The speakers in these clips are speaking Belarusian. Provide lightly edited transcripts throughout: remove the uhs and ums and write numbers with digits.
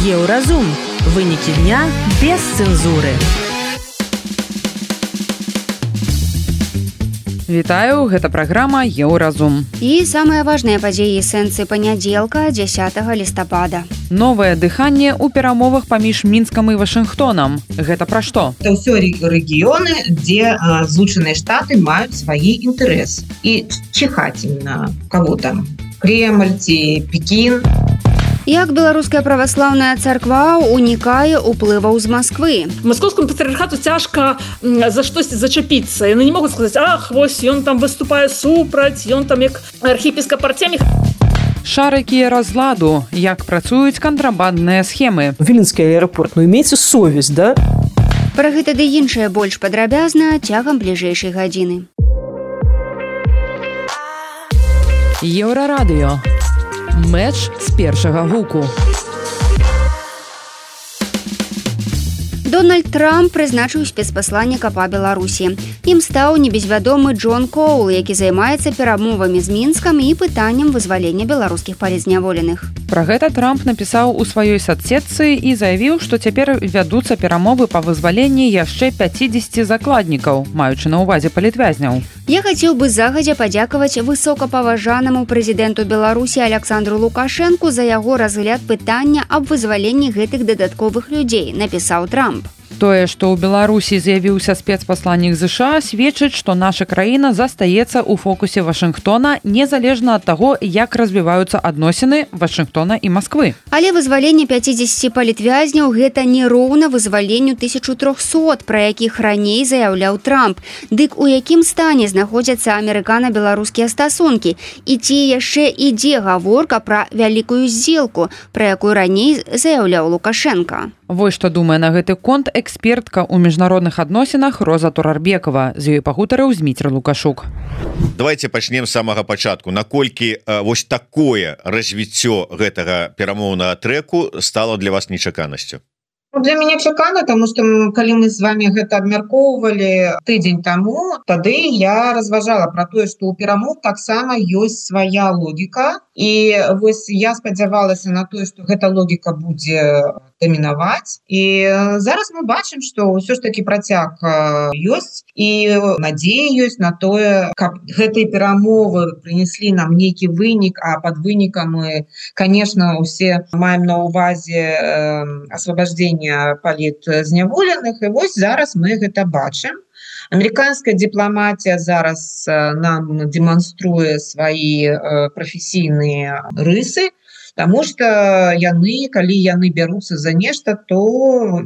Еўразум. Вынікі дня без цэнзуры. Вітаю, гэта праграма «Еўразум». І самыя важныя падзеі сэнсы панядзелка, 10 лістапада. Новае дыханне ў перамовах паміж Мінскам і Вашынгтонам. Гэта пра што? Это ўсё рэгіёны, дзе Злучаныя Штаты маюць свае інтарэсы. І чихаць ім на кого там? Кремль ці Пекін. Як беларуская праваслаўная царква унікае ўплываў з Масквы. Маскоўскому патрыархату цяжка за штосьці зачапіцца. Яны не могуць сказаць: ах, вось ён там выступае супраць, ён там як архіпіскап Артемій. Шарыкі разладу. Як працуюць кантрабандныя схемы. Віленскі аэрапорт, имейце совесть, да? Пра гэта ды іншае больш падрабязна цягам бліжэйшай гадзіны. Еўрарадыё. Мэч з першага гуку. Дональд Трамп прызначыў спецпасланніка па Беларусі. Ім стаў небезвядомы Джон Коул, які займаецца перамовамі з Мінскам і пытаннем вызвалення беларускіх палізняволеных. Пра гэта Трамп напісаў у сваёй соцсетцы і заявіў, што цяпер вядуцца перамовы па вызваленні яшчэ 50 закладнікаў, маючы на ўвазе палітвязняў. Я хацеў бы загадзя падзякаваць высокапаважанаму прэзідэнту Беларусі Аляксандру Лукашэнку за яго разгляд пытання аб вызваленні гэтых дадатковых людзей, напісаў Трамп. Тое, што ў Беларусі з'явіўся спецпасланнік ЗША, сведчыць, што наша краіна застаецца ў фокусе Вашынгтона незалежна ад таго, як развіваюцца адносіны Вашынгтона і Масквы. Але вызваленне 50 палітвязняў гэта не роўна вызваленню 1300, пра якіх раней заяўляў Трамп. Дык у якім стане знаходзяцца амерыкана-беларускія стасункі? І ці яшчэ ідзе гаворка пра вялікую здзелку, пра якую раней заяўляў Лукашенка? Вось што думае на гэты конт экспертка ў міжнародных адносінах Роза Турарбекова. З ёй пагутарыў Зміцер Лукашук. Давайте пачнем з самага пачатку. Наколькі вось такое развіццё гэтага перамоўнага трэку стало для вас нечаканасцю? Для мяне чакана, тому што калі мы з вами гэта абмяркоўвалі тыдзень таму, тады я разважала пра тое, што ў перамоў таксама ёсць свая логіка. І вось я спадзявалася на тое, што гэта логіка будзе дамінаваць. І зараз мы бачым, што ўсё ж такі працяг ёсць і надзея ёсць на тое, каб гэтыя перамовы прынеслі нам нейкі вынік, а пад вынікам мы, конечно, усе маем на ўвазе асвобождение палітзняволеных. І вось зараз мы гэта бачым. Амерыканская дыпламатія зараз нам дэманструе свае прафесійныя рысы, таму што яны, калі яны бяруцца за нешта, то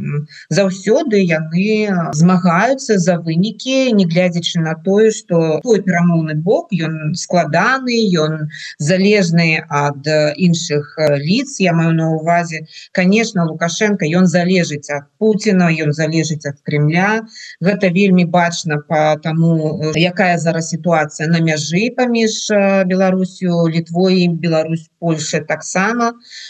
заўсёды яны змагаюцца за вынікі, не глядзячы на тое, што той перамоўны бок, ён складаны, ён залежны ад іншых лиц. Я маю на ўвазе, конечно, Лукашенко, ён залежыць ад Пуціна, ён залежыць ад Кремля. Гэта вельмі бачна па таму, якая зараз сітуацыя на мяжы паміж Беларусю, Літвой, Беларусь, Польша таксама.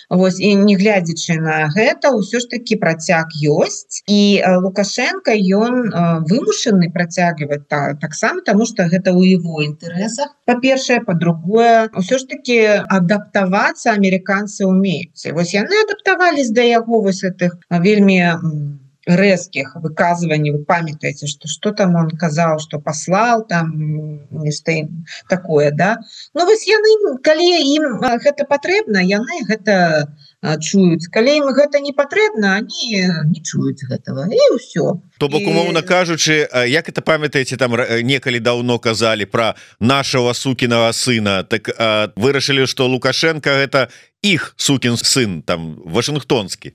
Вось, і не глядзячы на гэта, ўсё ж такі працяг ёсць. І Лукашенко, ён вымушаны працягваць таксама, таму што гэта ў яго інтарэсах. Па-першае, па-другое, ўсё ж такі адаптавацца амерыканцы ўмеюць. Вось яны адаптавались да яго вось гэтых вельмі рэзкіх выказванняў. Вы памятаеце, што там он казаў, што паслаў там нешта такое, да? Ну вось яны, калі ім гэта патрэбна, яны гэта чуюць. Калі ім гэта не патрэбна, они не чуюць гэтага. І ўсё. То бок, умоўна кажучы, як это памятаеце, там некалі даўно казалі пра нашего сукінага сына, так вырашылі, што Лукашенко гэта іх сукін сын, там, вашынгтонскі.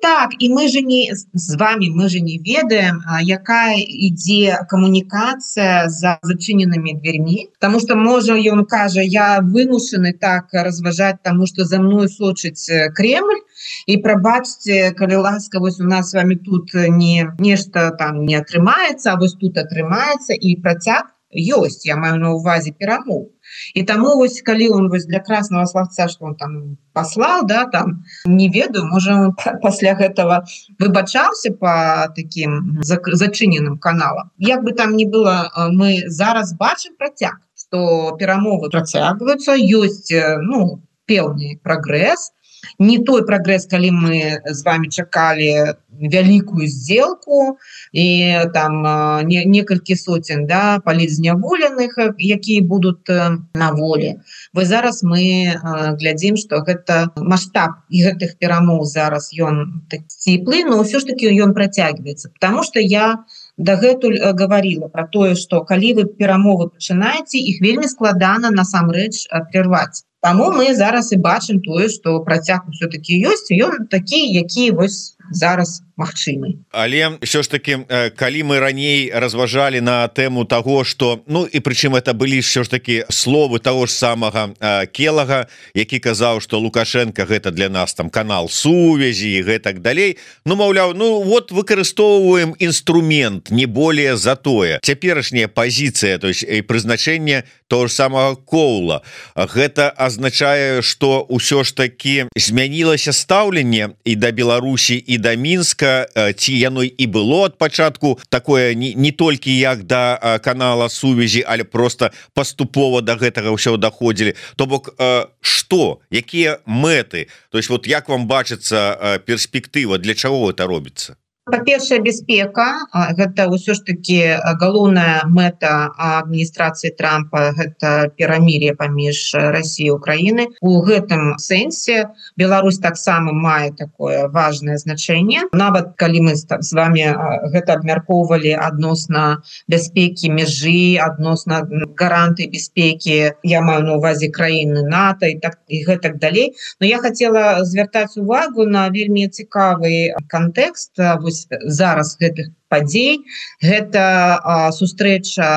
Так, і мы же не з вами, мы же не ведаем, якая ідзе камунікацыя за зачыненымі дверьмі, тому что можа ён кажа, я вымушаны так разважаць, тому что за мной сочыць Кремль, і прабачце, калі ласка, вось у нас с вами тут нешта там не атрымаецца, а вось тут атрымаецца, і працяг ёсць, я маю на ўвазе перамоў. І таму вось калі он вось для краснага славца, што он там паслаў, да, там не ведаю, можа он пасля гэтага выбачаўся по таким зачыненым каналам. Як бы там ни было, мы зараз бачым працяг, што перамовы працягваюцца, ёсць, ну, пэўны прагрэс. не той прагрэс, калі мы з вами чакалі вялікую сделку і там некалькі сотен, да, палітзняволеных, якія будуць на волі. Вы зараз мы глядзім, што гэта маштаб і гэтых перамоў зараз ён сціплы, но ўсё ж таки ён працягваецца, потому что я дагэтуль говорила про тое, што калі вы перамовы пачынаеце, іх вельмі складана насамрэч прерваць. Таму мы зараз і бачым тое, што працяг усё-таки ёсць, і ён такі, які вось зараз магчымы. Але ўсё ж таки, калі мы раней разважалі на тэму таго, што, ну і прычым это былі ўсё ж таки словы таго ж самага Келага, які казаў, што Лукашенко гэта для нас там канал сувязі і гэтак далей, ну маўляў, ну вот выкарыстоўваем інструмент, не более за тое. Цяперашняя пазіцыя, то есть і прызначэнне того ж самага Коула, гэта азначае, што ўсё ж таки змянілася стаўленне і да Беларусі, і да Мінска, ці яно і было ад пачатку такое не толькі як да канала сувязі, але просто паступова до гэтага ўсё даходзілі. То бок, што, якія мэты, то есть вот як вам бачыцца перспектыва, для чаго гэта робіцца? Па-першае, бяспека, гэта ўсё ж таки галоўная мэта адміністрацыі Трампа, гэта перамір'е паміж Расіяй і Украінай. У гэтым сэнсе Беларусь таксама мае такое важнае значэнне. Нават калі мы з вами гэта абмяркоўвалі адносна бяспекі мяжы, адносна гарантый бяспекі, я маю на увазе краіны НАТО і гэтак далей. Но я хацела звяртаць увагу на вельмі цікавы кантэкст зараз гэтых падзей. Гэта сустрэча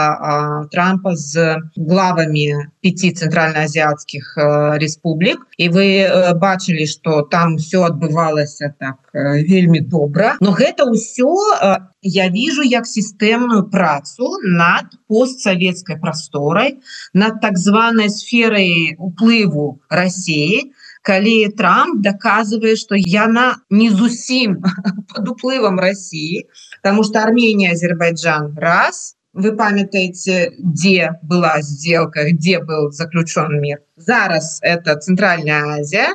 Трампа з главамі 5 цэнтральнаазіяцкіх рэспублік. І вы бачылі, што там все адбывалася так вельмі добра. Но гэта ўсё я вижу як сістэмную працу над постсавецкай прасторай, над так званай сферай уплыву Расіі, калі Трамп доказывае, што яна не зусім под уплывам России, потому что Армения, Азербайджан раз, вы памятаете, где была сделка, где был заключен мир. Зараз это Центральная Азия,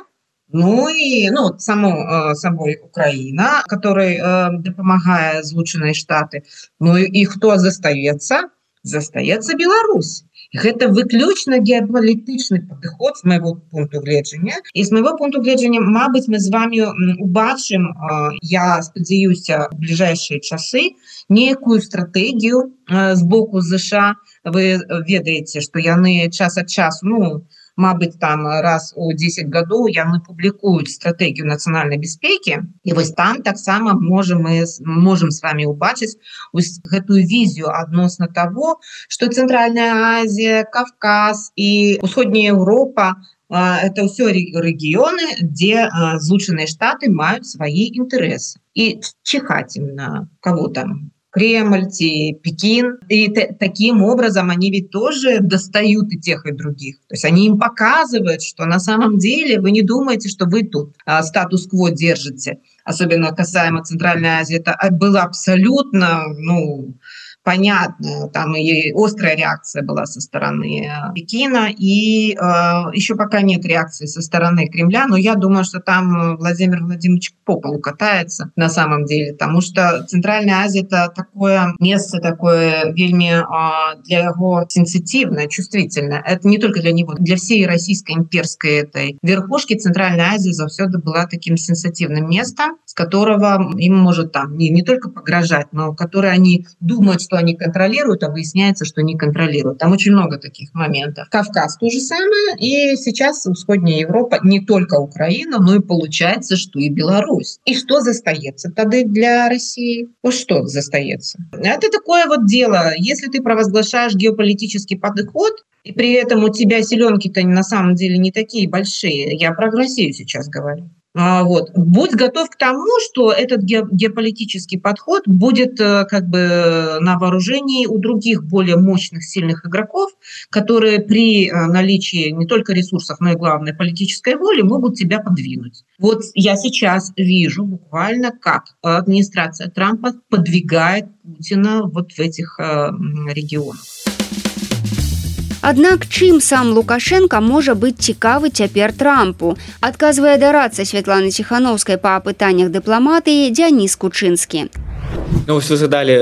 ну и собой Украина, которой допомагае Злучаныя Штаты. Ну и кто застаецца? Застаецца Беларусь. Гэта выключна геапалітычны падыход з майго пункту гледжання. І з майго пункту гледжання, мабыць, мы з вами убачым, я спадзяюся, в бліжэйшыя часы некую стратэгію з боку США. Вы ведаеце, што яны час ад часу, мабыць, там раз у 10 гадоў яны публікуюць стратэгію нацыянальнай бяспекі. І вось там таксама можем с вами убачыць гэтую візію адносна того, што Центральная Азія, Кавказ і Усходняя Европа это ўсё рэгіёны, дзе Злучаныя Штаты маюць свае інтарэсы. І чихать им на кого там? Кремль, Пекин. И таким образом они ведь тоже достают и тех, и других. То есть они им показывают, что на самом деле вы не думаете, что вы тут статус-кво держите. Особенно касаемо Центральной Азии. Это было абсолютно, понятно, там и острая реакция была со стороны Пекина, и еще пока нет реакции со стороны Кремля, но я думаю, что там Владимир Владимирович по полу катается на самом деле, потому что Центральная Азия — это такое место, такое вельми для его сенситивное, чувствительное. Это не только для него, для всей российской имперской этой верхушки Центральная Азия завсёды была таким сенситивным местом, с которого им может там не только погрожать, но который они думают, что они контролируют, а выясняется, что не контролируют. Там очень много таких моментов. Кавказ то же самое, и сейчас Усходняя Европа, не только Украина, но и получается, что и Беларусь. И что застаецца тогда для России? Вот что застаецца? Это такое вот дело. Если ты провозглашаешь геополитический подход, и при этом у тебя селенки-то на самом деле не такие большие, я про Россию сейчас говорю. Будь готов к тому, что этот геополитический подход будет как бы на вооружении у других более мощных, сильных игроков, которые при наличии не только ресурсов, но и, главное, политической воли могут тебя подвинуть. Вот я сейчас вижу буквально, как администрация Трампа подвигает Путина вот в этих регионах. Аднак чым сам Лукашенко можа быць цікавы цяпер Трампу, адказвае дарадца Святланы Ціхановскай па пытаннях дыпламатыі Дзяніс Кучынскі. Ну, вы згадалі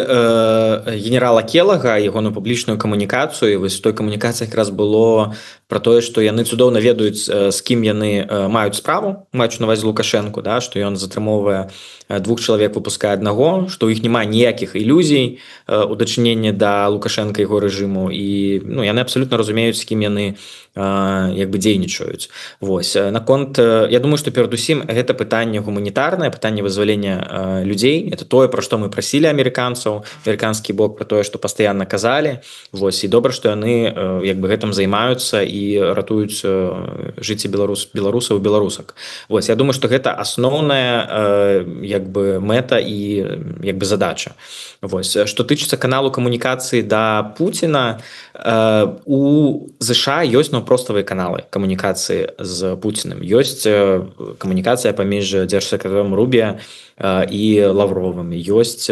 генерала Келага, ягоную публічную камунікацыю. Вось той камунікацыі якраз было про тое, што яны цудоўна ведаюць, з кім яны маюць справу, маюць на ўвазе Лукашэнку, да, што ён затрымоўвае 2 чалавек, выпускае 1, што ў іх няма ніякіх ілюзій у дачыненні да Лукашэнка і яго рэжыму. І яны абсалютна разумеюць, з кім яны дзейнічаюць. Вось. Наконт, я думаю, што перадусім гэта пытанне гуманітарнае, пытанне вызвалення людзей. Это тое, пра што мы прасілі амерыканцаў, амерыканскі бок, пра тое, што пастаянна казалі. Вось. І добра, што яны гэтым займаюцца і ратуюць жыцці беларусаў і беларусак. Вось. Я думаю, што гэта асноўная мэта і задача. Вось. Што тычыцца каналу камунікацыі да Пуціна, у ЗША ёсць проставыя каналы камунікацыі з Пуцінам. Ёсць камунікацыя паміж дзяржсакратаром Рубія і Лавровым. Ёсць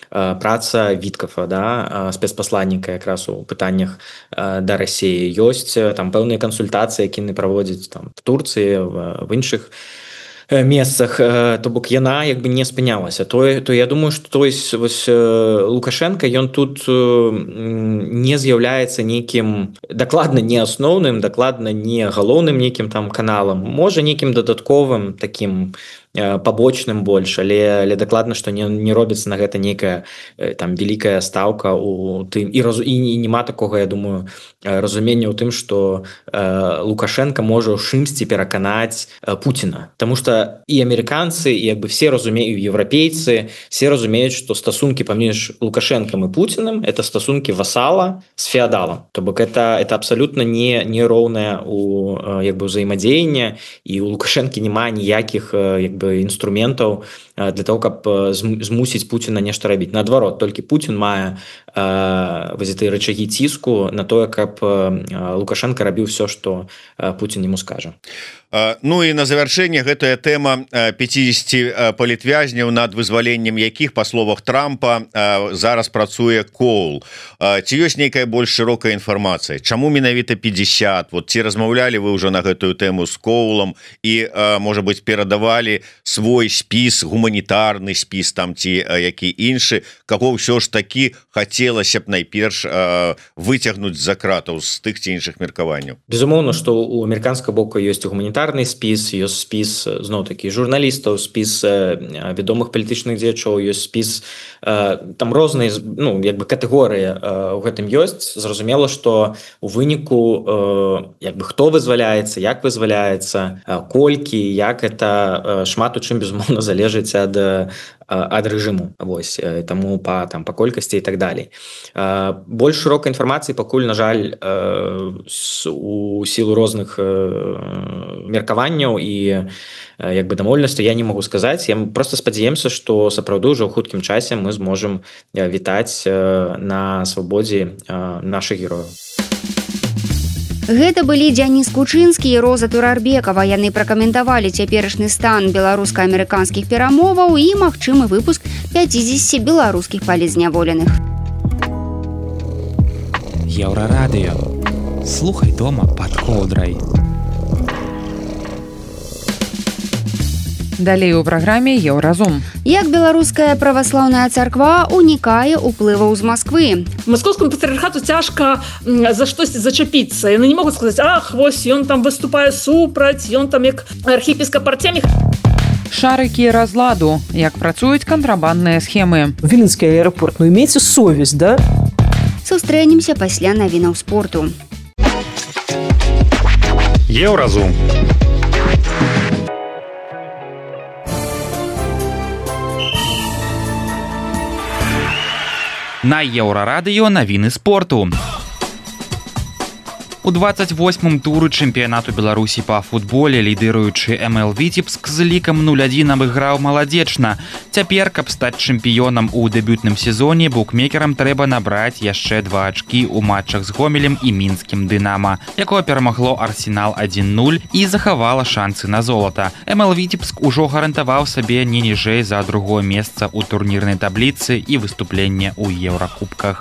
праца Віткафа, да, спецпасланніка якраз у пытаннях да Расіі. Ёсць там пэўныя кансультацыі, які яны праводзяць там в Турцыі, в іншых месцах, то бок яна не спынялася. То я думаю, што Лукашенко, ён тут не з'яўляецца нейкім дакладна не асноўным, дакладна не галоўным нейкім там каналам, можа нейкім дадатковым такім пабочным больш, але дакладна, што не робіцца на гэта нейкая там вялікая стаўка у тым, і няма такога, я думаю, разумення ў тым, што Лукашенко можа ў чымсьці пераканаць Пуціна. Таму што і амерыканцы, і все разумеюць, еўрапейцы, все разумеюць, што стасункі паміж Лукашенкам і Пуціным это стасункі васала з феадалам. То бок это абсалютна не роўнае у ўзаемадзеянне, і у Лукашэнкі няма ніякіх інструментаў для того, каб змусіць Пуціна нешта рабіць. Наадварот, толькі Пуцін мае гэтыя рычагі ціску на тое, каб Лукашенко рабіў все, што Пуцін яму скажа. Ну і на завяршэнне гэтая тэма 50 палітвязняў, над вызваленнем якіх, па словах Трампа, зараз працуе Коул. Ці ёсць нейкая больш шырокая інфармацыя? Чаму менавіта 50? Вот ці размаўлялі вы ўжо на гэтую тэму з Коулам і, можа быць, перадавалі свой спіс, гуманітарны спіс там ці які іншы, каго ўсё ж такі хацелася б найперш выцягнуць з-за кратаў з тых ці іншых меркаванняў? Безумоўна, што у амерыканскага боку ёсць гуманітарны спіс, ёсць спіс зноў-такі журналістаў, спіс вядомых палітычных дзеячоў, ёсць спіс там розныя катэгорыі ў гэтым ёсць. Зразумела, што у выніку хто вызваляецца, як вызваляецца, колькі, як это шмат у чым безумоўна залежыць ад рэжыму, вось, таму па колькасці і так далей. Больш шырокай інфармацыі пакуль, на жаль, у сілу розных меркаванняў і дамоўленасцяў я не магу сказаць. Я проста спадзяемся, што сапраўды ўжо ў хуткім часе мы зможам вітаць на свабодзе нашых герояў. Гэта былі Дзяніс Кучынскі і Роза Турарбекава. Яны пракаментавалі цяперашні стан беларуска-амерыканскіх перамоваў і магчымы выпуск 50 беларускіх палізняволеных. Еўрарадыё. Слухай дома пад коўдрай. Далей у праграме Еўразум. Як беларуская праваслаўная царква унікае ўплываў з Масквы. Маскоўскому патрыархату цяжка за штосьці зачапіцца. Яны не могуць сказаць: ах, вось ён там выступае супраць, ён там як архіпіскап Артемій. Шарыкі разладу. Як працуюць кантрабандныя схемы. Віленскі аэрапорт, имейце совесть, да? Сустрэнемся пасля навінаў спорту. Еўразум. На Еўрарадыё навіны спорту. У 28-м туры чэмпіянату Беларусі па футболе лідыруючы МЛ Віцебск з лікам 0-1 абыграў маладзечна. Цяпер, каб стаць чэмпіёнам у дэбютным сезоне, букмекерам трэба набраць яшчэ 2 ачкі ў матчах з Гомелем і мінскім Дынама, якое перамагло Арсенал 1-0 і захавала шансы на золата. МЛ Віцебск ужо гарантаваў сабе не ніжэй за другое месца ў турнірнай табліцы і выступленне ў Еўракубках.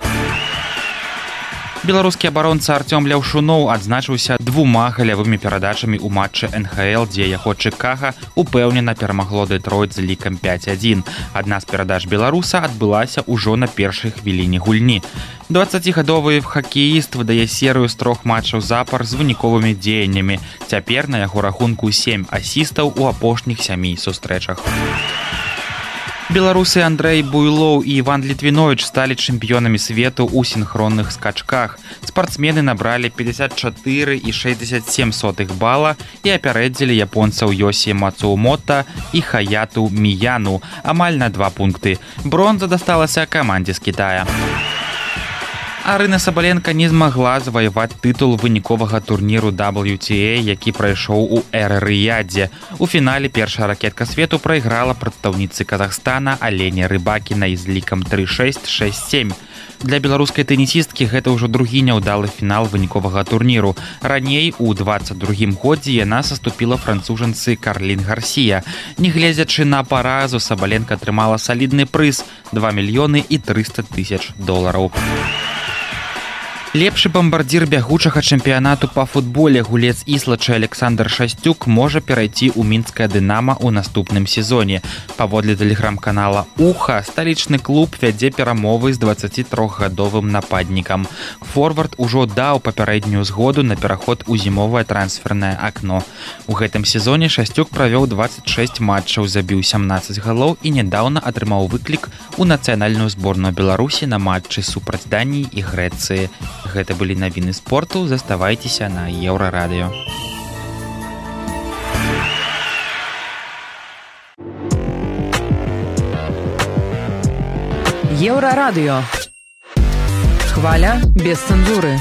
Беларускі абаронца Артём Ляўшуноў адзначыўся 2 галявымі перадачамі ў матчы НХЛ, дзе яго Чыкага упэўнена перамагло Дэтройт з лікам 5-1. Адна з перадач беларуса адбылася ўжо на першай хвіліне гульні. 20гадовы хакеіст выдае серыю з 3 матчаў запар з выніковымі дзеяннямі. Цяпер на яго рахунку 7 асістаў у апошніх 7 сустрэчах. Беларусы Андрэй Буйлоў і Іван Літвіновіч сталі чэмпіёнамі свету ў сінхронных скачках. Спартсмены набралі 54,67 бала і апярэдзілі японцаў Йосі Мацумота і Хаяту Міяну амаль на 2 пункты. Бронза дасталася камандзе з Кітая. Арына Сабаленка не змагла заваяваць тытул выніковага турніру WTA, які прайшоў у Эр-Рыядзе. У фінале першая ракетка свету прайграла прадстаўніцы Казахстана Алене Рыбакінай з лікам 3-6, 6-7. Для беларускай тэнісісткі гэта ўжо другі няўдалы фінал выніковага турніру. Раней, у 22-м годзе, яна саступіла францужанцы Карлін Гарсія. Нягледзячы на паразу, Сабаленка атрымала салідны прыз – $2 300 000. Лепшы бамбардзір бягучага чэмпіянату па футболе гулец Іслача Александр Шасцюк можа перайти ў мінскае Дынама ў наступным сезоне. Паводле тэлеграм-канала «Уха», сталічны клуб вядзе перамовы з 23гадовым нападнікам. Форвард ужо даў папярэднюю згоду на пераход у зімовае трансфернае акно. У гэтым сезоне Шасцюк правёў 26 матчаў, забіў 17 галоў і нядаўна атрымаў выклік у нацыянальную зборную Беларусі на матчы супраць Даніі і Грэцыі. Гэта былі навіны спорту. Заставайцеся на Еўрарадыё. Еўрарадыё. Хваля без цэнзуры.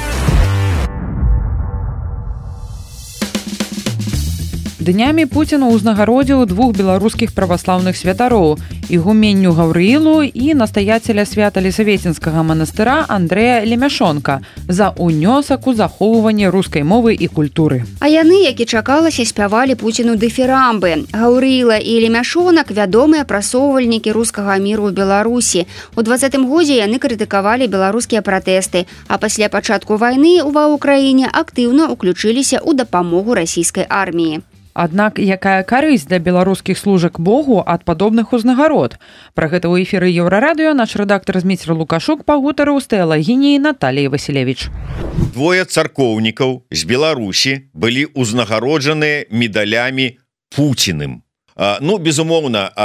Днямі Пуцін узнагародзіў 2 беларускіх праваслаўных святароў – ігуменню Гаўрыілу і настаяцеля Свята-Лісавецінскага манастыра Андрэя Лемяшонка за ўнёсак у захоўванне рускай мовы і культуры. А яны, як і чакалася, спявалі Пуціну дыфірамбы. Гаўрыіла і Лемяшонак – вядомыя прасоўвальнікі рускага міру ў Беларусі. У 20-м годзе яны крытыкавалі беларускія пратэсты, а пасля пачатку вайны ва ўкраіне актыўна ўключыліся ў дапамогу расійскай арміі. Аднак якая карысць для беларускіх служак Богу ад падобных узнагарод? Пра гэта ў эфіры Еўрарадыё наш рэдактар Зміцер Лукашук пагутарыў з тэалагіняй Наталіяй Васілевіч. 2 царкоўнікаў з Беларусі былі ўзнагароджаныя медалямі Пуціным. Безумоўна,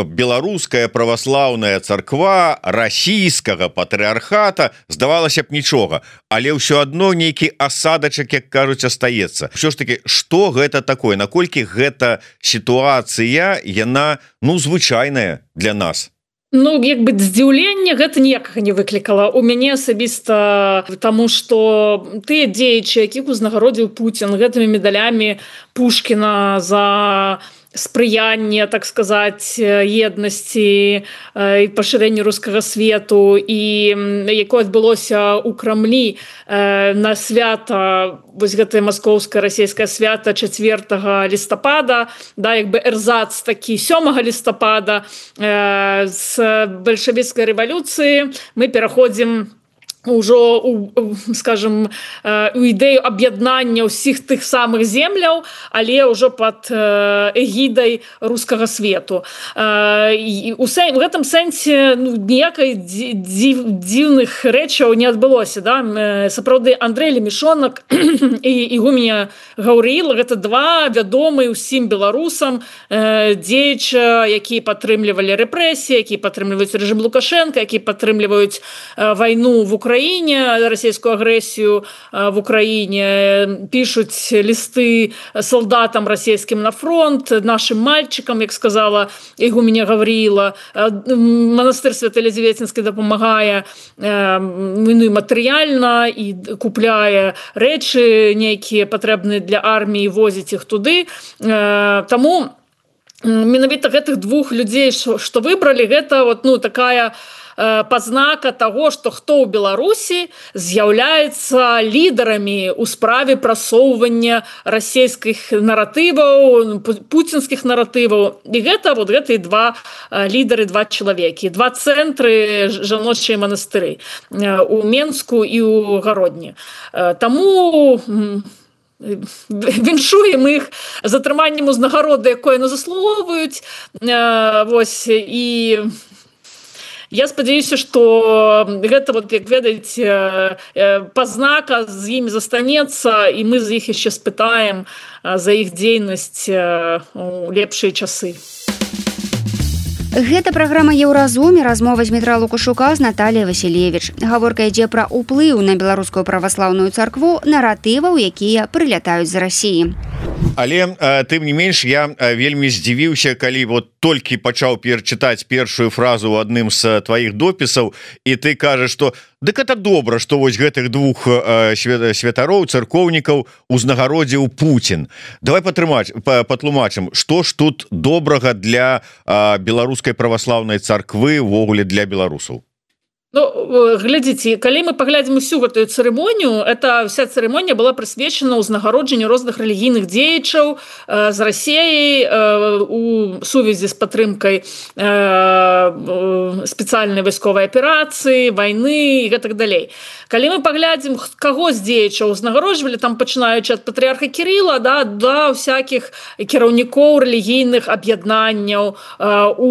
беларуская праваслаўная царква расійскага патрыархата здавалася б нічога, але ўсё адно нейкі асадачак, як кажуць, астаецца. Ўсё ж таки, што гэта такое? Наколькі гэта сітуацыя, яна, звычайная для нас? Здзіўленне гэта ніякага не выклікала у мяне асабіста, таму што тыя дзеячы, якіх узнагародзіў Пуцін гэтымі медалямі Пушкіна за спрыянне, так сказаць, еднасці і пашырэнню рускага свету, і якое адбылося ў Крамлі на свята, вось гэтае маскоўскае расійскае свята 4 лістапада, эрзац такі 7 лістапада з бальшавіцкай рэвалюцыі мы пераходзім ўжо, скажем, у ідэю аб'яднання ўсіх тых самых земляў, але ўжо пад эгідай рускага свету. У гэтым сэнсе ніякай дзіўных рэчаў не адбылося. Сапраўды, Андрэй Лемяшонак і ігуменя Гаўрыіла – гэта 2 вядомыя ўсім беларусам дзеяча, якія падтрымлівалі рэпрэсіі, якія падтрымліваюць рэжым Лукашэнка, якія падтрымліваюць вайну в Украине, российскую агрессию в Украине, пишут листы солдатам российским на фронт, нашим мальчикам, як сказала ігуменя Гавріла. Монастир Свято-Лізаветинський допомагає матеріально і купляє речі, які потрібні для армії, возить їх туди. Тому менавіта гэтых двух людзей, што выбралі, гэта вот, ну, такая пазнака таго, што хто ў Беларусі з'яўляецца лідарамі ў справе прасоўвання расійскіх наратываў, пуцінскіх наратываў. І гэта вот гэтыя два лідары, два чалавекі, два цэнтры жаночыя манастыры у Менску і ў Гародні. Таму віншуем іх з атрыманнем узнагароды, якое яны заслугоўваюць. Вось, і я спадзяюся, што гэта, вот, як ведаеце, пазнака з імі застанецца, і мы з іх яшчэ спытаем за іх дзейнасць у лепшыя часы. Гэта праграма «Еўразум» і размова Дмітра Лукашука з Наталіяй Васілевіч. Гаворка ідзе пра ўплыў на беларускую праваслаўную царкву наратываў, якія прылятаюць з Расіі. Але тым не менш я вельмі здзівіўся, калі вот толькі пачаў перачытаць першую фразу ў адным з тваіх допісаў, і ты кажаш, што дык это добра, што вось гэтых двух святароў, царкоўнікаў узнагародзіў Пуцін. Давай патлумачым, што ж тут добрага для беларускай праваслаўнай царквы, увогуле для беларусаў? Ну, глядзіце, калі мы паглядзім усю гэтую цырымонію, эта вся цырымонія была прысвечана ўзнагароджанню розных рэлігійных дзеячаў з Расіяй у сувязі з падтрымкай спецыяльнай вайсковай аперацыі, вайны і гэтак далей. Калі мы паглядзім, каго з дзеячаў узнагароджвалі, там пачынаючы ад патрыарха Кірыла да ўсякіх кіраўнікоў рэлігійных аб'яднанняў у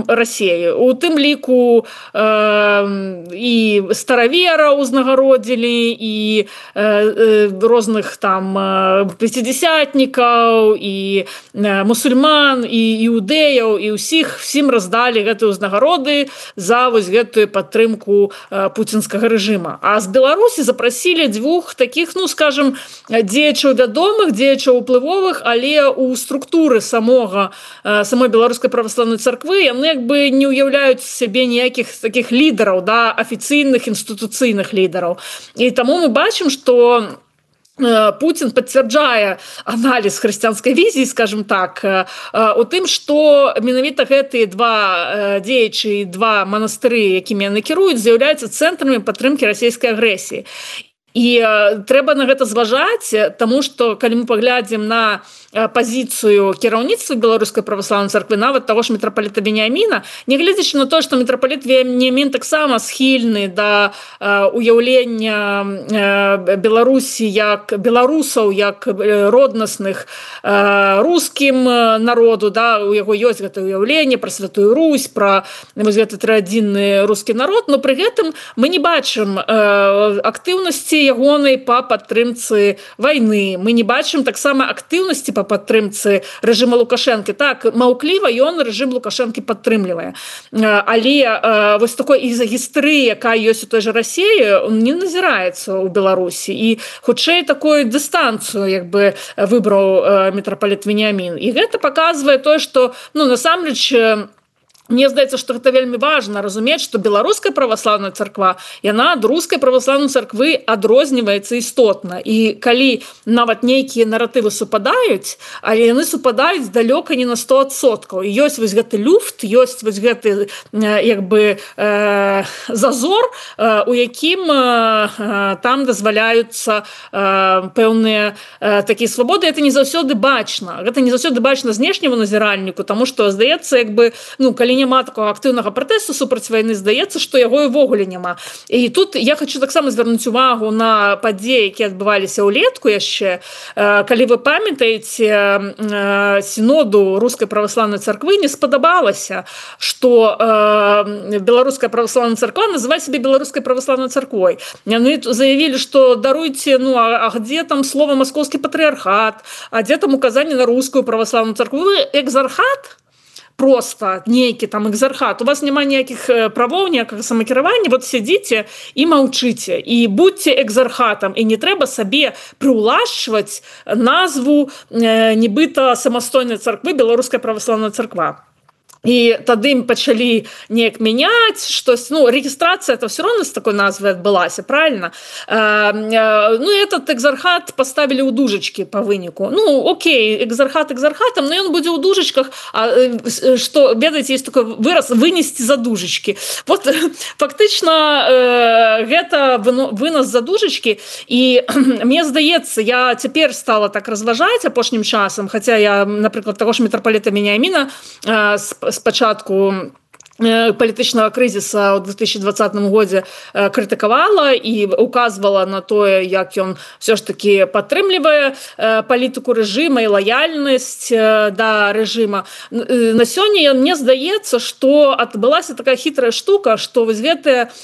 Расіі. У тым ліку і старавера узнагародзілі, і розных там пяцідзясятнікаў, і мусульман, і іўдэяў, і ўсім раздалі гэтыя ўзнагароды за вось гэтую падтрымку пуцінскага рэжыма. А з Беларусі запрасілі двух такіх, ну, скажем, дзеячаў вядомых, дзеячаў уплывовых, але ў структуры самой беларускай праваслаўнай царквы яны як бы не ўяўляюць сябе ніякіх таких лідараў, да, афіцыйных інстытуцыйных лідараў. І таму мы бачым, што Путин пацвярджае аналіз хрысціянскай візіі, скажем так, у тым, што менавіта гэтыя два дзеячы, два манастыры, якімі яны кіруюць, з'яўляюцца цэнтрамі падтрымкі расійскай агрэсіі. І трэба на гэта зважаць, таму што калі мы паглядзім на пазіцыю кіраўніцтва беларускай праваслаўнай царквы, нават таго ж мітрапаліта Веніаміна, нягледзячы на тое, што мітрапаліт Веніамін таксама схільны да уяўлення Беларусі як беларусаў, як роднасных рускім народу, да, у яго ёсць гэта уяўленне пра Святую Русь, пра гэты традзійны рускі народ, но пры гэтым мы не бачым актыўнасці ягонай па падтрымцы вайны. Мы не бачым таксама актыўнасці па падтрымцы рэжыма Лукашэнкі. Так, маўкліва ён рэжым Лукашэнкі падтрымлівае. Але вось такой ізагістрыі, якая ёсць у той жа Расіі, не назіраецца ў Беларусі. І хутчэй такую дыстанцыю як бы выбраў мітрапаліт Веніамін. І гэта паказвае тое, што, ну, насамрэч, мне здаецца, што гэта вельмі важна разумець, што беларуская праваслаўная царква, яна ад рускай праваслаўнай царквы адрозніваецца істотна. І калі нават нейкія наратывы супадаюць, але яны супадаюць далёка не на 100%. І ёсць вось гэты люфт, ёсць вось гэты як бы зазор, у якім там дазваляюцца пэўныя такія свабоды. Гэта не заўсёды бачна. Гэта не заўсёды бачна знешняму назіральніку, таму што здаецца, як бы, ну, калі няма такого актыўнага пратэсту супраць вайны, здаецца, што яго ўвогуле няма. І тут я хочу таксама звярнуць увагу на падзеі, якія адбываліся ўлетку яшчэ. Калі вы памятаеце, сіноду рускай праваслаўнай царквы не спадабалася, што беларуская праваслаўная царква называе сябе беларускай праваслаўнай царквой. Яны заявілі, што даруйце, ну, а где там слова маскоўскі патрыархат, а дзе там указанне на рускую праваслаўную царкву? Вы экзархат? Просто нейкі там экзархат, у вас няма ніякіх правоў, ніякага самакіравання, вот сядзіце і маўчыце, і будьце экзархатам, і не трэба сабе прыўлашчваць назву нібыта самастойнай царквы беларуская праваслаўная царква. і тады ім пачалі неяк мяняць штось, рэгістрацыя это все равно з такой назвай адбылася, правильно? Этот экзархат поставілі ў дужачкі по выніку. Окей, экзархат экзархатам, но ён будзе ў дужачках, што, ведаеце, есть такой выраз вынесці за дужачкі. Вот фактычна гэта вынос за дужачкі, і мне здаецца, я цяпер стала так разважаць апошнім часам, хаця я, напрыклад, таго ж мітрапаліта Веніаміна спачатку палітычнага крызіса ў 2020 годзе крытыкавала і указвала на тое, як ён все ж таки падтрымлівае палітыку рэжыма і лаяльнасць да рэжыма. На сёння мне здаецца, што адбылася такая хітрая штука, што вось гэтае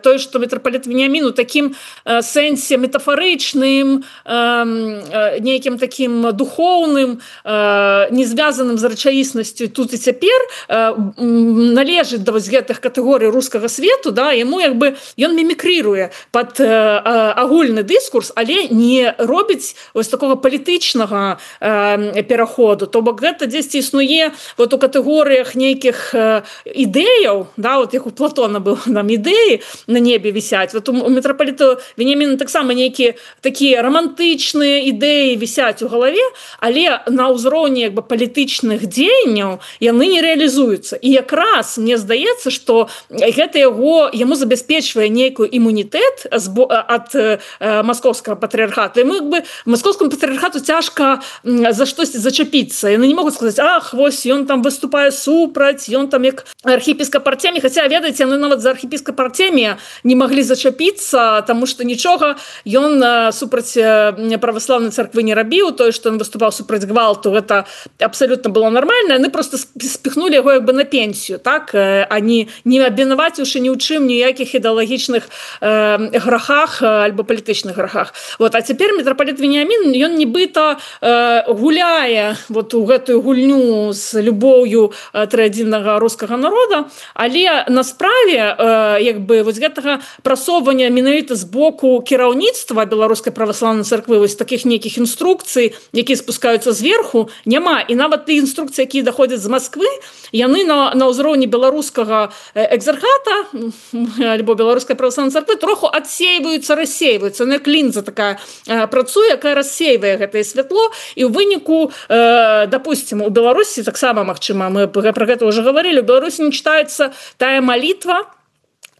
тое, што мітрапаліт Веніамін у такім сэнсе метафарычным, нейкім такім духоўным, не звязаным з рэчаіснасцю тут і цяпер, належыць да вось гэтых катэгорый рускага свету, яму ён мімікрыруе пад агульны дыскурс, але не робіць вось такога палітычнага пераходу. То бок гэта дзесьці існуе вот у катэгорыях нейкіх ідэяў, вот як у Платона быў нам ідэі на небе вісяць. Вот у мітрапаліту Веніаміна таксама нейкія такія рамантычныя ідэі вісяць у галаве, але на ўзроўні палітычных дзеянняў яны не рэалізуюцца. І якраз мне здаецца, што гэта яму забяспечвае нейкую імунітэт ад маскоўскага патрыархату. І маскоўскаму патрыархату цяжка за штосьці зачапіцца. Яны не могуць сказаць, вось ён там выступае супраць, ён там як архіепіскап Артемій. Хаця, ведаеце, яны нават за архіепіскап Артемія не маглі зачапіцца, таму што нічога ён супраць праваслаўнай царквы не рабіў. Тое, што ён выступаў супраць гвалту, гэта абсалютна было нармальна. Яны проста спіхнулі яго на пенсію, так? Не абвінаваціўшы ні ў чым ніякіх ідэалагічных грахах альбо палітычных грахах. А цяпер мітрапаліт Веніамін, ён нібыта гуляе у гэтую гульню з любоўю трыадзіннага рускага народа, але на справе вось гэтага прасоўвання менавіта з боку кіраўніцтва беларускай праваслаўнай царквы, вось такіх нейкіх інструкцый, якія спускаюцца зверху, няма. І нават тыя інструкцыі, якія даходзяць з Масквы, яны на ўзроўні беларускага экзархата альбо беларускай праваслаўнай царквы троху адсейваюцца, рассейваюцца. Як лінза такая працуе, якая рассейвае гэтае святло, і ў выніку, допустим, у Беларусі таксама, магчыма, мы пра гэта ўжо гаварылі, у Беларусі не чытаецца тая малітва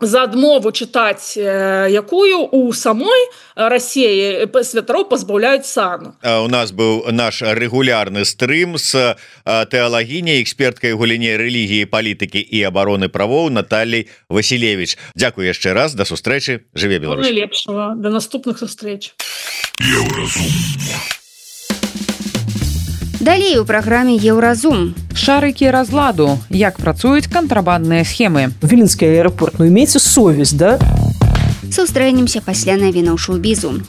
за адмову чытаць, якую у самой Расіі святароў пазбаўляюць сану. У нас быў наш рэгулярны стрым з тэалагіняй, эксперткай у галіне рэлігіі, палітыкі і абароны правоў Натальяй Васілевіч. Дзякуй яшчэ раз, да сустрэчы, жыве Беларусь. Найлепшага, да наступных сустрэч. Далей у праграме Еўразум. Шарыкі разладу. Як працуюць кантрабандныя схемы. Віленскі аэропорт, имейте совесть, да? Сустрэнемся пасля навінаў шоу-бізу.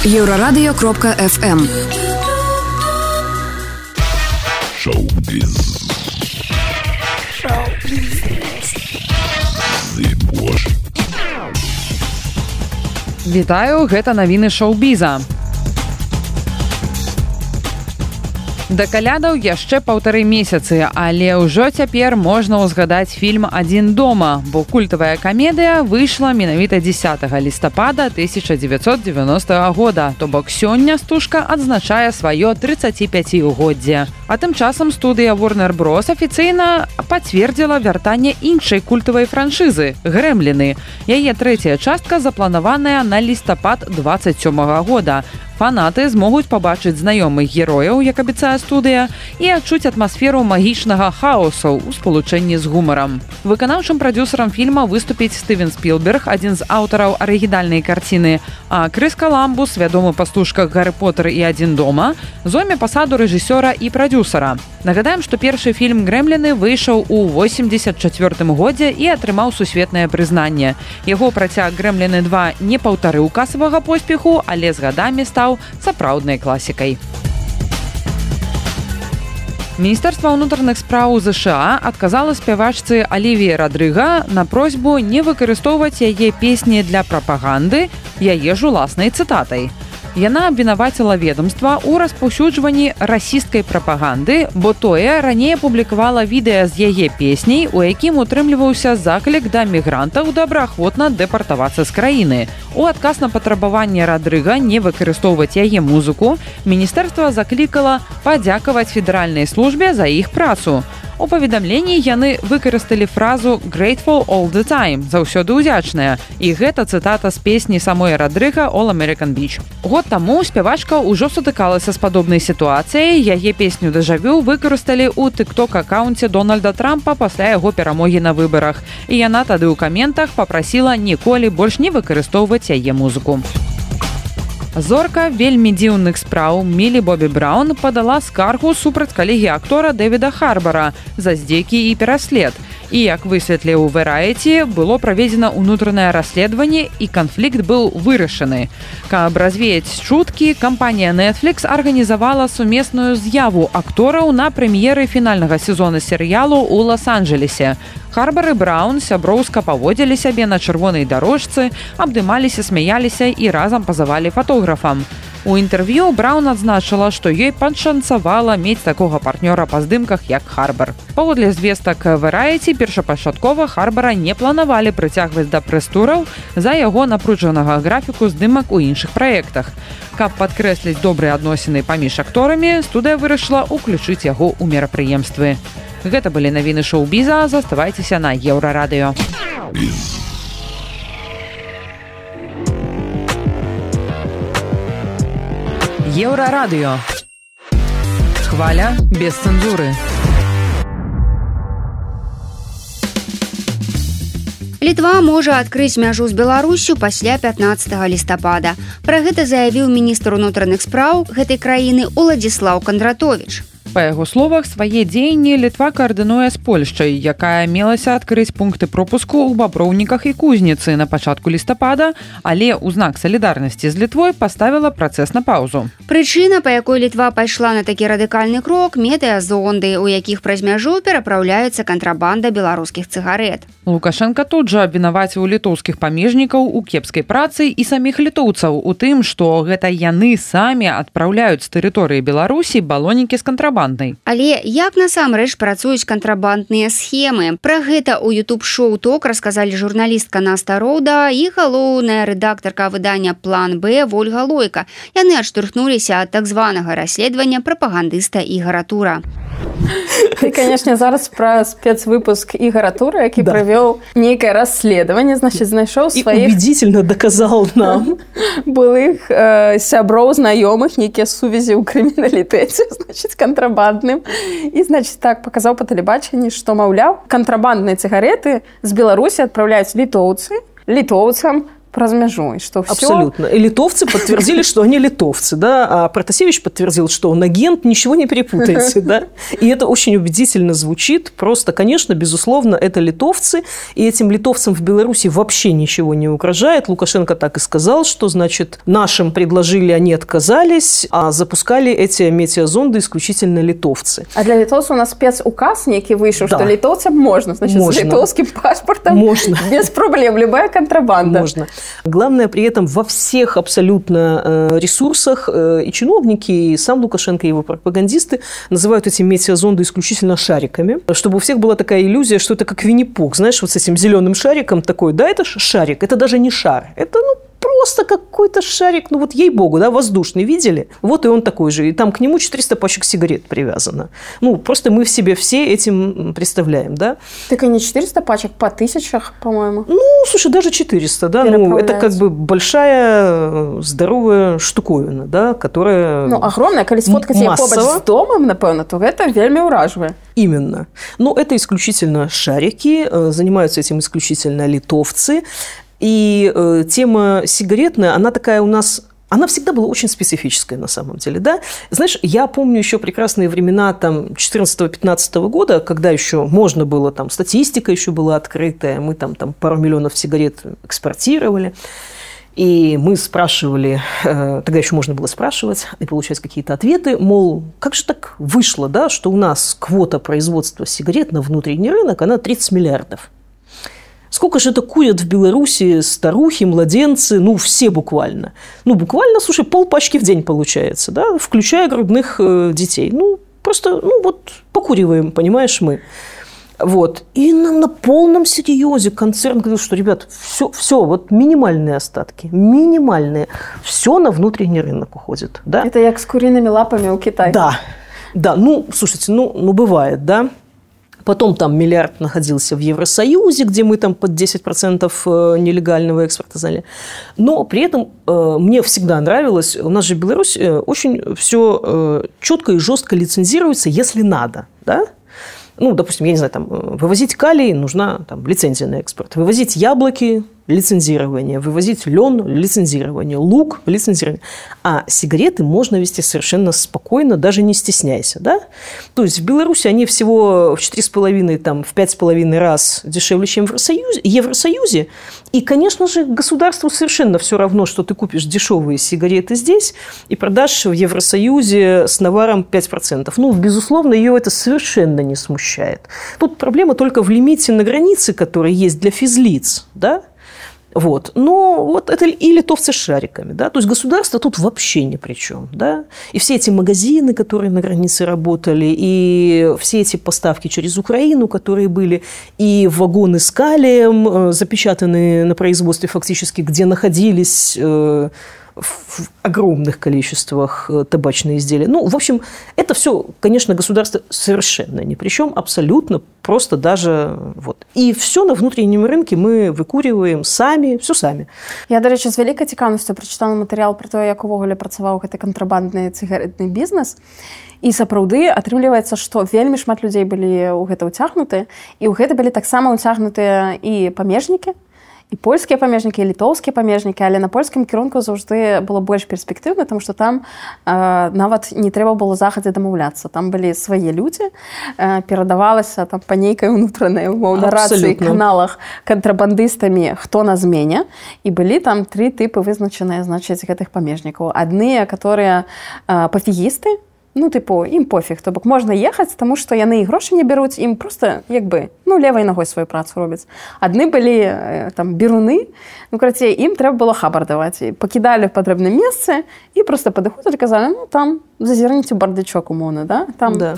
Еўрарадыё.фм. Шоу-біз. Вітаю, гэта навіны шоу-біза. Да калядаў яшчэ 1,5 месяцы, але ўжо цяпер можна ўзгадаць фільм «Адзін дома», бо культавая камедыя выйшла менавіта 10 лістапада 1990 года, то бок сёння стужка адзначае сваё 35-годдзе. А тым часам студыя Warner Bros. Афіцыйна пацвердзіла вяртанне іншай культавай франшызы «Грэмліны». Яе трэцяя частка запланаваная на лістапад 27 года. Фанаты змогуць пабачыць знаёмых герояў, як абяцае студыя, і адчуць атмасферу магічнага хаосу ў спалучэнні з гумарам. Выканаўчым прадзюсарам фільма выступіць Стывен Спілберг, адзін з аўтараў арыгінальнай карціны, а Крыс Каламбус, вядомы па стужках «Гарры Поттер» і «Адзін дома», зойме пасаду рэжысёра і прадзюсара. Нагадаем, што першы фільм «Грэмліны» выйшаў у 1984 годзе і атрымаў сусветнае прызнанне. Яго працяг «Грэмліны 2» не паўтарыў касавага поспеху, але з гадамі стаў сапраўднай класікай. Міністэрства ўнутраных спраў ЗША адказала спявачцы Алівіі Радрыга на просьбу не выкарыстоўваць яе песні для прапаганды яе ж уласнай цытатай. Яна абвінаваціла ведомства ў распаўсюджванні расісцкай прапаганды, бо тое раней публікавала відэа з яе песняй, у якім утрымліваўся заклік да мігрантаў добраахвотна дэпартавацца з краіны. У адказ на патрабаванне Радрыга не выкарыстоўваць яе музыку, міністэрства заклікала падзякаваць федэральнай службе за іх працу. У паведамленні яны выкарысталі фразу «Grateful all the time» – «Заўсёды ўдзячная». І гэта цытата з песні самой Радрыга «All American Beach». Год таму спявачка ўжо сутыкалася з падобнай сітуацыяй. Яе песню «Дежавю» выкарысталі ў тык-ток-акаунце Дональда Трампа пасля яго перамогі на выбарах. І яна тады ў каментах папрасіла ніколі больш не выкарыстоўваць яе музыку. Зорка вельмі дзіўных спраў Мілі Бобі Браўн падала скаргу супраць калегі актора Дэвіда Харбара за здзекі і пераслед. І, як высветліў Variety, было праведзена ўнутранае расследаванне і канфлікт быў вырашаны. Каб развеяць чуткі, кампанія Netflix арганізавала сумесную з'яву актораў на прэм'еры фінальнага сезона серыялу ў Лос-Анджелесе. Харбар і Браўн сяброўска паводзілі сябе на чырвонай дарожцы, абдымаліся, смяяліся і разам пазавалі фотографам. У інтэрв'ю Браўн адзначыла, што ёй пашанцавала мець такога партнёра па здымках, як Харбар. Паводле звестак Variety, першапачаткова Харбара не планавалі прыцягваць да прэс-тураў за яго напружанага графіку здымак у іншых праектах. Каб падкрэсліць добрыя адносіны паміж акторамі, студыя вырашыла ўключыць яго ў мерапрыемствы. Гэта былі навіны шоу-біза, заставайцеся на Еўрарадыё. Еўрарадыё. Хваля без цэнзуры. Літва можа адкрыць мяжу з Беларуссю пасля 15 лістапада. Пра гэта заявіў міністр унутраных спраў гэтай краіны Уладзіслаў Кандратовіч. Па яго словах, свае дзеянні Літва каардынуе з Польшчай, якая мелася адкрыць пункты пропуску ў Баброўніках і Кузніцы на пачатку лістапада, але ў знак салідарнасці з Літвой паставіла працэс на паўзу. Прычына, па якой Літва пайшла на такі радыкальны крок – метэазонды, у якіх праз мяжу перапраўляецца кантрабанда беларускіх цыгарэт. Лукашенко тут жа абвінаваціў літоўскіх памежнікаў у кепскай працы і саміх літоўцаў у тым, што гэта яны самі адпраўляюць з тэрыторыі Беларусі балонікі з кантрабандай. Але як насамрэч працуюць кантрабандныя схемы? Пра гэта ў YouTube-шоу «Ток» расказалі журналістка Наста Роуда і галоўная рэдактарка выдання «План Б» Вольга Лойка. Яны адштурхнуліся ад так званага расследавання прапагандыста Ігара Тура. І, канешне, зараз пра спецвыпуск Ігара Тура, які правёў нейкае расследаванне, значыць, знайшоў сваіх... І убедительно доказал нам. Былых сяброў, знаёмых, нейкія сувязі ў крыміналітэце, значыць, кантрабандным. І, значыць, так, паказаў па тэлебачанні, што, маўляў, кантрабандныя цыгареты з Беларусі адпраўляюць літоўцам, про мяжу, что все... Абсолютно. И литовцы подтвердили, что они литовцы, да, а Протасевич подтвердил, что он агент, ничего не перепутайте, да. И это очень убедительно звучит. Просто, конечно, безусловно, это литовцы, и этим литовцам в Беларуси вообще ничего не угрожает. Лукашенко так и сказал, что, значит, нашим предложили, они отказались, а запускали эти метеозонды исключительно литовцы. А для литовцев у нас спецуказ некий вышел, да, что литовцам можно, значит, можно. С литовским паспортом можно. Без проблем, любая контрабанда. Можно. Главное, при этом во всех абсолютно ресурсах и чиновники, и сам Лукашенко, и его пропагандисты называют эти метеозонды исключительно шариками, чтобы у всех была такая иллюзия, что это как Винни-Пух, знаешь, вот с этим зеленым шариком такой, да, это шарик, это даже не шар, это, просто какой-то шарик, вот ей-богу, да, воздушный, видели? Вот и он такой же. И там к нему 400 пачек сигарет привязано. Просто мы в себе все этим представляем, да? Так и не 400 пачек, по тысячах, по-моему. Слушай, даже 400, да? Это как бы большая, здоровая штуковина, да, которая огромная, коли сфоткать ее побач с домом, напевно, то это вельми ураживает. Именно. Это исключительно шарики, занимаются этим исключительно литовцы. И тема сигаретная, она такая у нас... Она всегда была очень специфическая на самом деле, да? Знаешь, я помню еще прекрасные времена там 14-15 года, когда еще можно было, там статистика еще была открытая, мы там пару миллионов сигарет экспортировали. И мы спрашивали, тогда еще можно было спрашивать и получать какие-то ответы, мол, как же так вышло, да, что у нас квота производства сигарет на внутренний рынок, она 30 миллиардов. Сколько же это курят в Беларуси старухи, младенцы, ну, все буквально. Ну, буквально, слушай, полпачки в день получается, да, включая грудных детей. Ну, просто, ну, вот покуриваем, понимаешь, мы. Вот. И нам на полном серьезе концерн говорил, что, ребят, все, вот минимальные остатки, минимальные. Все на внутренний рынок уходит, да. Это як с куриными лапами у Китая. Да, ну, слушайте, ну бывает, да. Потом там миллиард находился в Евросоюзе, где мы там под 10% нелегального экспорта заняли. Но при этом мне всегда нравилось, у нас же Беларусь очень все четко и жестко лицензируется, если надо, да. Ну, допустим, я не знаю, там, вывозить калий, нужна там, лицензия на экспорт. Вывозить яблоки – лицензирование. Вывозить лен – лицензирование. Лук – лицензирование. А сигареты можно везти совершенно спокойно, даже не стесняйся. Да? То есть в Беларуси они всего в 4,5, там, в 5,5 раз дешевле, чем в Евросоюзе. И, конечно же, государству совершенно все равно, что ты купишь дешевые сигареты здесь и продашь в Евросоюзе с наваром 5%. Ну, безусловно, ее это совершенно не смущает. Тут проблема только в лимите на границе, который есть для физлиц, да? Вот. Но вот это и литовцы с шариками, да, то есть государство тут вообще ни при чем, да, и все эти магазины, которые на границе работали, и все эти поставки через Украину, которые были, и вагоны с калием, запечатанные на производстве фактически, где находились в огромных количествах табачные изделия. Ну, в общем, это все, конечно, государство совершенно ни при чем, абсолютно, просто даже вот. И все на внутреннем рынке мы выкуриваем самі, все самі. Я, до речі, з великою цікавістю прочитала матеріал про те, як увогуле працаваў гэты кантрабандны цыгаретны бізнес. І сапраўды атрымліваецца, што вельмі шмат людзей былі ў гэта ўцягнуты, і ў гэта былі таксама ўцягнутыя і памежнікі, і польскія памежнікі, і літоўскія памежнікі, але на польскім кірунку заўжды было больш перспектыўна, тому што там нават не трэба было захадзе дамаўляцца. Там былі свае людзі, перадавалася там па нейкай унутранай умоўна рацыі каналах кантрабандыстамі, хто на змене, і былі там 3 тыпы вызначаныя, значыць, гэтых памежнікаў. Адныя, которые пафігісты, ну, типу, ім пофіг, то бок можна ехаць, таму што яны і грошы не бяруць, ім проста, як бы, ну, левай ногой сваю працу робяць. Адны былі, там, беруны, ну, карацей, ім трэба было хабар даваць. Пакідалі в патрэбным месцы і проста падыходзілі, казалі, ну, там, зазірніце бардачок умоўна, да? Там... Да.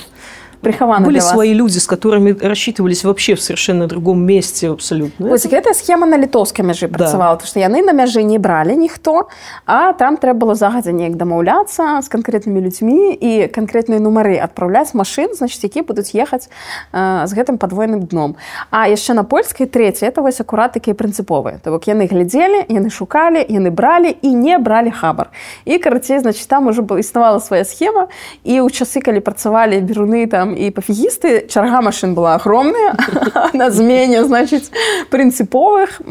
Были свои люди, с которыми рассчитывались вообще в совершенно другом месте абсолютно. Вот гэтая схема на літоўскай мяжы працавала, потому што яны на мяжы не бралі ніхто, а там трэба было загадзя неяк дамаўляцца з канкрэтнымі людзьмі і канкрэтныя нумары адпраўляць машын, значыць, якія будуць ехаць з гэтым падвойным дном. А яшчэ на польскай трэцяй, это вось акурат такія прынцыповыя. То бок яны глядзелі, яны шукалі, яны бралі і не бралі хабар. І, карацей, значыць, там ужо існавала свая схема, і ў часы, калі працавалі беруны там и пофигисты, чарга машин была огромная, на змене, значит, принциповых,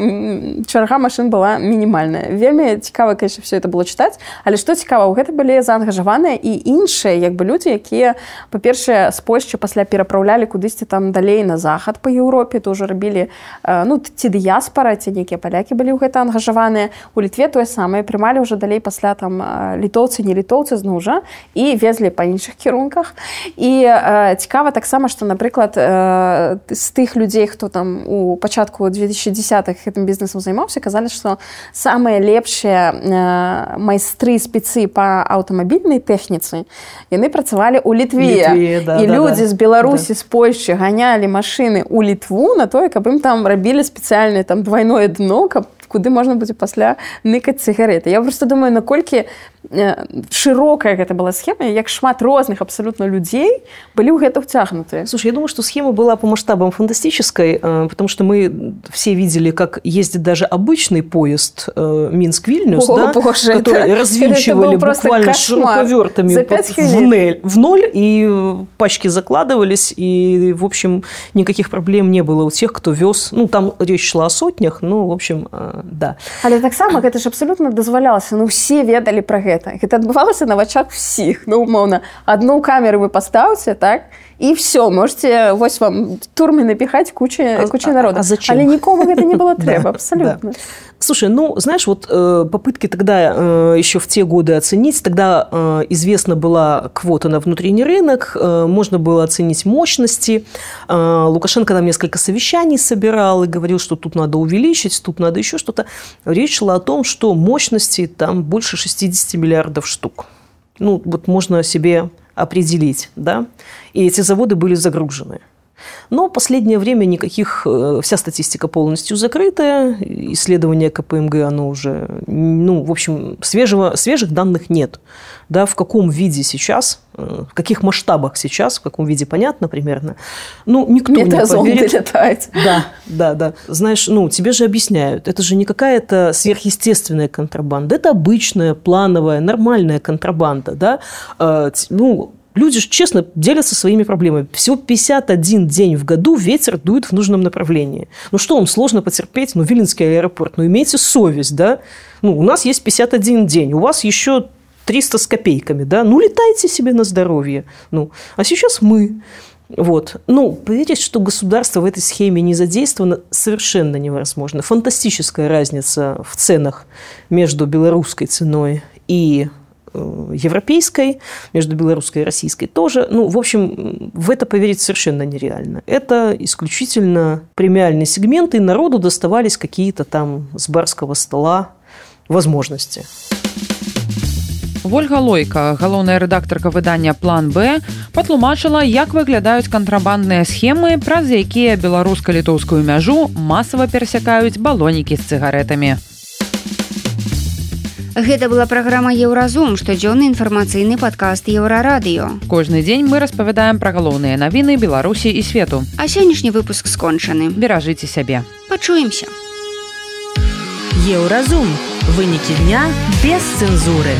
чарга машин была минимальная. Вельмі цікава, конечно, все это было читать, але что цікава, гэта былі заангажаваныя і іншыя, як бы, люди, якія, па-першае, з Польшчы пасля перапраўлялі кудысьці там далей на захад по Еўропе, то ўжо рабілі, ну, ці дыяспара, ці нейкія палякі былі ў гэта ангажаваныя. У Літве тое самае, прымалі ўжо далей пасля там літоўцы, не літоўцы зноў жа, і везлі па іншых кірунках. І цікава таксама, што, напрыклад, з тых людзей, хто там у пачатку 2010-х гэтым бізнесам займаўся, казалі, што самыя лепшыя майстры спецы па аўтамабільнай тэхніцы, яны працавалі ў Літве. Да, і людзі з Беларусі, з Польшчы ганялі машыны ў Літву на тое, каб ім там рабілі спецыяльнае там двойное дно, каб куды можна будзе пасля ныкаць цыгареты. Я просто думаю, наколькі широкая гэта была схема, як шмат розных абсолютно людей были в это втягнуты. Слушай, я думаю, что схема была по масштабам фантастической, потому что мы все видели, как ездит даже обычный поезд Минск-Вильнюс, да, боже, который развинчивали буквально шуруповертами в ноль, и пачки закладывались, и, в общем, никаких проблем не было у тех, кто вез. Ну, там речь шла о сотнях, ну, в общем, да. Але таксама гэта ж абсолютно дазвалялася, ну, все ведалі пра гэта. Гэта адбывалася на вачах всіх. Ну, умоўна, одну камеру вы паставце, так, и все, можете вось вам турмы напихать куча народа. А зачем? Але никому это не было треба, абсолютно. Слушай, знаешь, вот попытки тогда еще в те годы оценить, тогда известна была квота на внутренний рынок, можно было оценить мощности. Лукашенко там несколько совещаний собирал и говорил, что тут надо увеличить, тут надо еще что-то. Речь шла о том, что мощности там больше 60 миллиардов штук. Вот можно себе определить, да, и эти заводы были загружены. Но в последнее время никаких, вся статистика полностью закрытая, исследование КПМГ, оно уже, в общем, свежих данных нет. Да, в каком виде сейчас, в каких масштабах сейчас, в каком виде понятно примерно. Никто не поверит. Летает. Да. Знаешь, тебе же объясняют, это же не какая-то сверхъестественная контрабанда, это обычная, плановая, нормальная контрабанда, да, люди же честно делятся своими проблемами. Всего 51 день в году ветер дует в нужном направлении. Что вам сложно потерпеть? Виленский аэропорт. Имейте совесть, да? У нас есть 51 день, у вас еще 300 с копейками, да? Летайте себе на здоровье. А сейчас мы. Вот. Поверить, что государство в этой схеме не задействовано, совершенно невозможно. Фантастическая разница в ценах между белорусской ценой и европейской, между белорусской и российской тоже. В общем, в это поверить совершенно нереально. Это исключительно премиальный сегмент, и народу доставались какие-то там с барского стола возможности. Вольга Лойка, галоўная рэдактарка выдання «План Б», патлумачыла, як выглядаюць кантрабандныя схемы, праз якія беларуска-літоўскую мяжу масава перасякаюць балонікі з цыгаретамі. Гэта была праграма «Еўразум», штодзённы інфармацыйны падкаст «Еўрарадыё». Кожны дзень мы распавядаем пра галоўныя навіны Беларусі і свету. А сённяшні выпуск скончаны. Беражыце сябе. Пачуемся. Еўразум. Вынікі дня без цэнзуры.